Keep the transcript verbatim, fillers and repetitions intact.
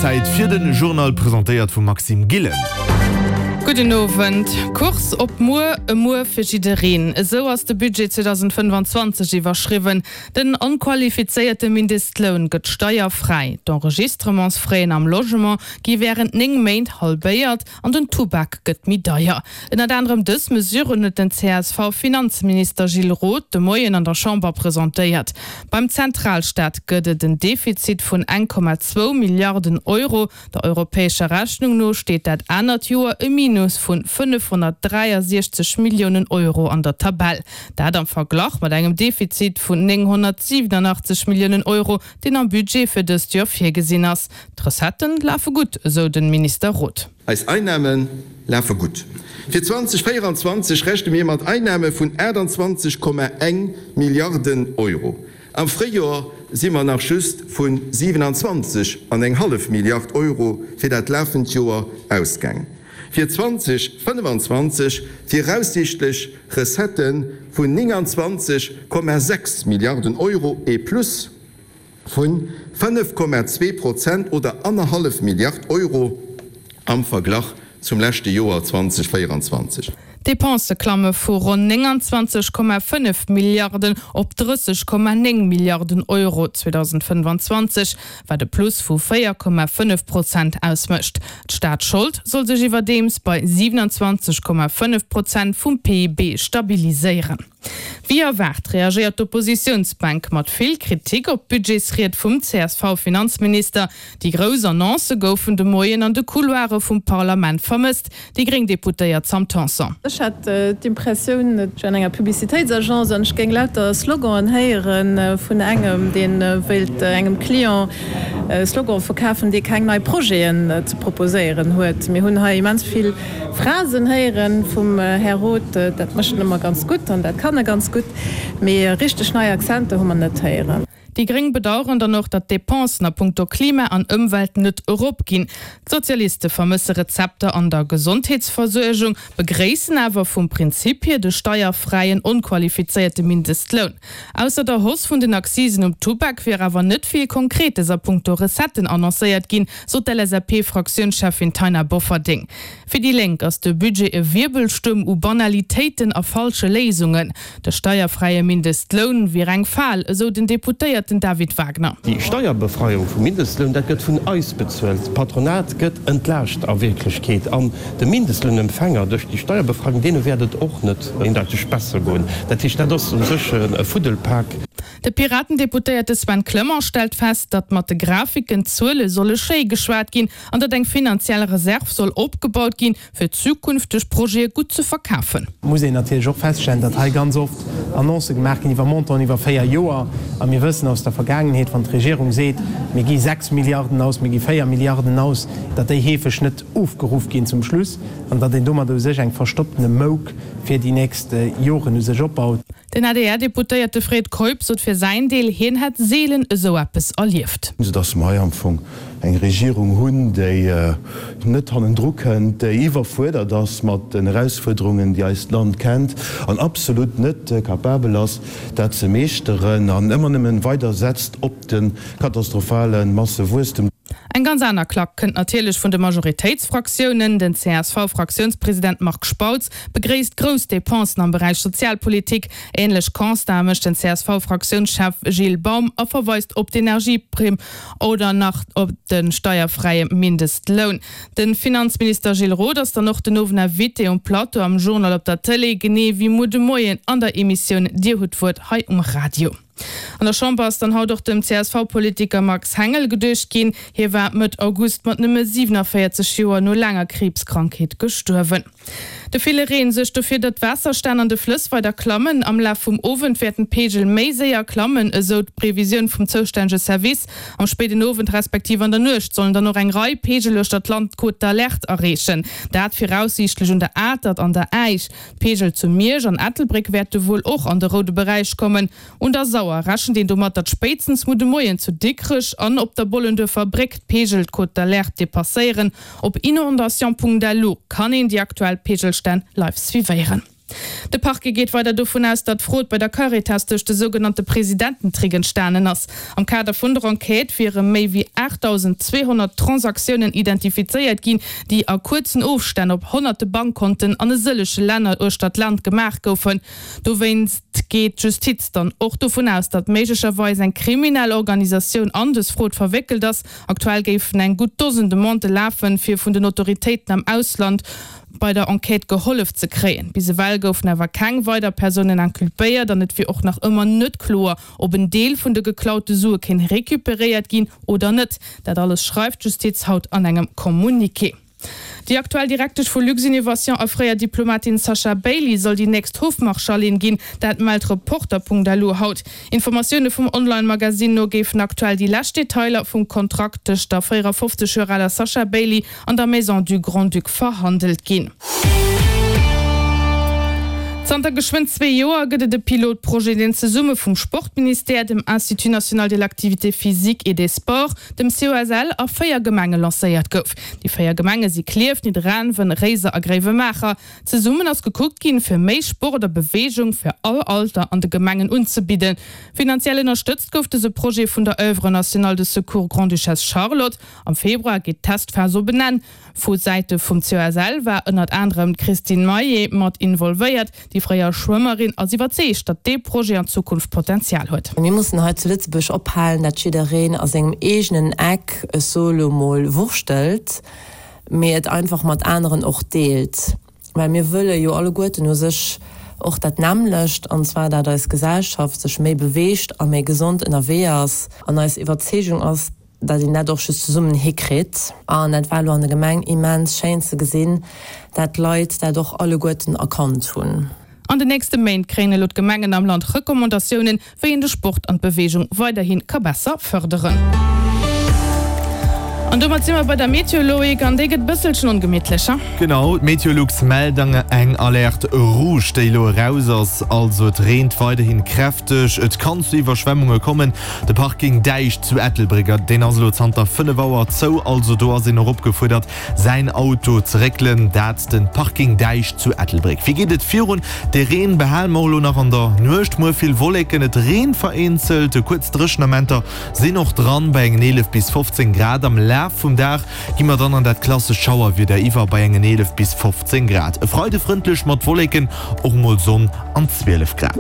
Zäit fir den Journal, presentéiert vum Maxime Gillen. Gudden Owend. Kurs op muer, e Muer fir jiddereen. Esou ass de Budget zweedausendfënnefanzwanzeg iwwerschriwwen. Den onqualifizéierte Mindestloun gëtt steierfräi, d'Enregistrementsfraisen am Logement gi wärend néng Méint halbéiert an den Tubak gëtt méi deier. Ënnert anerem dës Mesuren huet den C S V-Finanzminister Gilles Roth de Moien an der Chamber presentéiert. Beim Zentralstaat gëtt et en Defizit vun eng Komma zwou Milliarden Euro. Der europäescher Rechnung no steet dat anert Joer e Minus vun fënnefhonnertdräiasiechzeg Milliounen Euro an der Tabell. Dat am Verglach mat engem Defizit vun nénghonnertsiwenunachtzeg Milliounen Euro, deen am Budget fir dëst Joer virgesinn ass. D'Recettë lafe gutt, esou de Minister Roth. Eis Einnahme lafe gutt. Fir zweedausendvéieranzwanzeg rechne mir mat Einnahme vun aachtanzwanzeg Komma eng Milliarden Euro. Am Fréijoer si mer nach just vu siwenanzwanzeg an eng hallef Milliard Euro fir dat lafend Joer ausgaangen. Fir zweedausendfënnefanzwanzeg viraussiichtlech Recettë vun nénganzwanzeg Komma sechs Milliarden Euro, e Plus vu fënnef Komma zwee Prozent oder annerhallef Milliard Euro am Verglach zum leschte Joer zweedausendvéieranzwanzeg. D'Depensë klamme vu ronn nénganzwanzeg Komma fënnef Milliarden op drësseg Komma néng Milliarden Euro zweedausendfënnefanzwanzeg, wat e Plus vu véier Komma fënnef Prozent ausmécht. D'Staatsschold soll sech iwwerdeems bei siewenundzwanzeg Komma fënnef Prozent vum P I B stabiliséieren. Wéi erwaart reagéiert d'Oppositiounsbänk mat vill Kritik op d'Budgetsried vum C S V-Finanzminister. Déi grouss Annoncë goufen de Moien an de Couloire vum Parlament vermësst. Déi gréng Deputéiert Sam Tanson. Ech hat d'Impressioun, ech wär an enger Publicitéitsagence an ech géing lauter Sloganen héiere vun engem, dee wéilt engem Client e Slogan verkafen, dee keng nei Projeten ze proposéieren huet. Mir hunn hei immens vill Phrasen héiere vum Här Roth. Dat mécht en ëmmer ganz gutt an dat kann e ganz gutt, mee richteg nei Akzenter hu mer net héieren. Déi gréng bedaueren dann och, datt d'Depensen a punkto Klima an Ëmwelt net eropginn. D'Sozialiste vermësse Rezepter an der Gesondheetsversuergung, begréissen awer vum Prinzip hier de steierfräien onqualifizéierte Mindestloun. Ausser der Hausse vun den Accisen um Tubak wier awer net vill Konkretes a punkto Recetten annoncéiert ginn, sot d'L S A P-Fraktiounscheffin Taina Bofferding. Fir déi Lénk ass de Budget e Wirbelstuerm u Banalitéiten a falsche Léisungen. De steierfräie Mindestloun wier eng Fal, esou den Deputéierten David Wagner. Déi Steierbefreiung vum Mindestloun, dat gëtt vun eis bezuelt. D'Patronat gëtt entlaascht a Wierklechkeet. An de Mindestlounempfänger duerch déi Steierbefreiung, deene wäert et och net eendeiteg besser goen. Dat heescht, dat ass u sech e Fuddelpak. De Piraten-Deputéierte Sven Clement stellt fest, datt mat de Grafiken d'Zuele solle schéi geschwat ginn an datt eng finanziell Reserv soll opgebaut ginn, fir zukünfteg Projete gutt ze verkafen. Muss een natierlech och feststellen, datt hei ganz oft Annoncë gemaach ginn iwwer Montanten iwwer véier Joer. A mir wëssen aus der Vergaangenheet, wann d'Regierung seet, mir gi sechs Milliarden aus, mir gi véier Milliarden aus, datt déi heefeg net ofgeruff ginn zum Schluss an datt een domat u sech eng verstopptene Mouk fir déi nächst Joren u sech opbaut. Den A D R-Deputéierte Fred Keup sot fir säin Deel, hien hätt seelen esou eppes erlieft. Soudass mer hei am Fong eng Regierung hunn, déi net hannendru kënnt, déi iwwerfuerdert ass mat den Erausfuerderungen, déi eist Land kennt, an absolut net capabel ass, dat ze meeschteren, an ëmmer nëmmen weider setzt op de katastrophale Massewuesstem. Eng ganz aner Klack kënnt natierlech vun de Majoritéitsfraktiounen. Den C S V-Fraktiounspresident Marc Spautz begréisst grouss Depensen am Beräich Sozialpolitik. Änlech Constate mécht den C S V-Fraktiounschef Gilles Baum a verweist op d'Energieprimm oder nach op de steierfräie Mindestloun. De Finanzminister Gilles Roth ass dann och den Owend Invité um Plateau am Journal op der Tëlee, genee wéi muer de Moien an der Emissioun Dir hutt d'Wuert hei um Radio. An der Chamber ass dann haut och dem C S V-Politiker Max Hengel geduecht ginn. Hie war Mëtt August mat nëmme siewenunvéierzeg Joer no laanger Kriibskrankheet gestuerwen. De ville Reen suergt dofir, datt d'Waasserstänn an de Flëss weider klammen. Am Laf vum Owend wäerten d'Peegel méi séier klammen, esou d'Previsioun vum zoustännege Service. Am spéiden Owend respektiv an der Nuecht sollen dann och eng Rei Peegel uechter d'Land d'Cote d'alerte erreechen. Dat viraussiichtlech un der Atert an der Äisch. D'Peegel zu Miersch an Ettelbréck wäerte wuel och an de roude Beräich kommen. Un der Sauer rechent een domat, datt spéitstens muer de Moien zu Dikrech an op der Bollenduerfer Bréck d'Peegel d'Cote d'alerte depasséieren. Op inondation Punkt lu kann een déi aktuell Peegelstänn live suivéieren. De Parquet geet weider dovun aus, datt d'Frod bei der Caritas duerch de sougenannte Presidententrick entstanen ass. Am Kader vun der Enquête wiere méi wéi aachtdausendzweehonnert Transaktiounen identifizéiert ginn, déi a kuerzen Ofstänn op honnerte Bankkonten an e sëllege Länner uechter d'Land gemaach goufen. Dowéinst geet d'Justiz dann och dovun aus, datt méiglecherweis eng kriminell Organisatioun an dës Frod verwéckelt ass. Aktuell géifen eng gutt Dosen Demandë lafen, fir vun den Autoritéiten am Ausland bei der Enquête gehollef ze kréien. Bis ewell goufen awer keng weider Persounen inculpéiert an et wier och nach ëmmer net kloer, ob en Deel vun de geklaute Sue kéint recuperéiert ginn oder net. Dat alles schreift d'Justiz haut an engem Communiqué. Déi aktuell Direktesch vu Luxinnovation a fréier Diplomatin Sasha Bailey soll déi nächst Hofmarschallin ginn, dat mellt Reporter.lu haut. Informatioune vum Online-Magasinn no géifen aktuell déi lescht Detailer vum Kontrakt tëscht der véierafofzeg Joer aler Sasha Bailey an der Maison du Grand-Duc verhandelt ginn. Zanter geschwënn zwee Joer gëtt et e Pilotprojet, deen zesumme vum Sportministère, dem Institut national de l'activité physique et des sports, dem C O S L a véier Gemenge lancéiert gouf. Déi véier Gemenge si Klierf, Nidderaanwen, Réiser a Gréiwemaacher. Zesummen ass gekuckt ginn, fir méi Sport a Beweegung fir all Alter an de Gemengen unzebidden. Finanziell ënnerstëtzt gouf dëse Projet vun der Oeuvre nationale de secours Grande-Duchesse Charlotte. Am Februar geet d'Testphas op en Enn. Vu Säite vum C O S L war ënnert anerem d'Christine Maillet mat involvéiert. Déi fréier Schwëmmerin ass iwwerzeegt, datt dee Projet an Zukunft Potenzial huet. Mir mussen hei zu Lëtzebuerg ophalen, datt jiddereen a sengem eegenen Eck, ech soe lo mol, wurschtelt, mee et einfach mat aneren och deelt. Well mir wëlle jo alleguerten u sech och dat nämmlecht, an zwar dat eis Gesellschaft sech méi beweegt a méi gesond ënnerwee ass. An eis Iwwerzeegung ass, dat een dat och just zesummen hikritt. An dat war elo an der Gemeng immens schéin ze gesinn, dat d'Leit dat och alleguerten erkannt hunn. An den nächste Méint kréien elo d'Gemengen am Land Recommandatiounen, wéi een de Sport an d'Beweegung weiderhi ka besser fërderen. An domat si mer bei der Meteo, Loïc, an déi gëtt bësselchen ongemittlecher. Genau, d'Meteolux mellt eng Alerte rouge, déi elo eraus ass. Also et reent weiderhin kräfteg, et kann zu Iwwerschwemmunge kommen. De Parking Däich zu Ettelbréck, deen ass elo zanter fënnef Auer zou, also do ass een och opgefuerdert säin Auto ze réckelen. Dat de Parking Däich zu Ettelbréck. Wéi geet et virun? De Reen behale mer elo nach an der Nuecht. Muer vill Wolleken, et reent vereenzelt, kuerz Dréchenamenter sinn och dran bei engen eelef bis fofzéng Grad. Am Laf vum Dag gi mer dann an dat klassescht Schauerwieder iwwer bei engen eelef bis fofzéng Grad. E Freide frëndlech mat Wolleken, och mol Sonn an zwielef Grad.